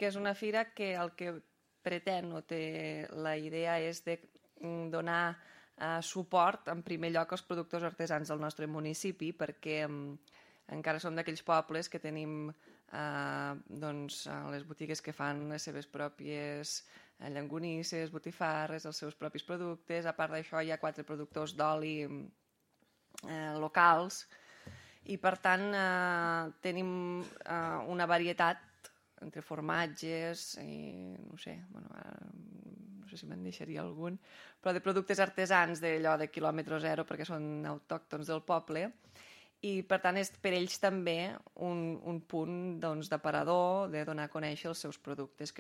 que és una fira que el que pretén o té la idea és de donar suport en primer lloc als productors artesans del nostre municipi, perquè encara som d'aquells pobles que tenim les botigues que fan les seves pròpies llangonisses, botifarres, els seus propis productes. A part d'això hi ha 4 productors d'oli locals i per tant tenim una varietat entre formatges i no sé si me'n deixaria algun, però de productes artesans d'allò de quilòmetre zero perquè són autòctons del poble i per tant és per ells també un punt d'aparador, de donar a conèixer els seus productes, que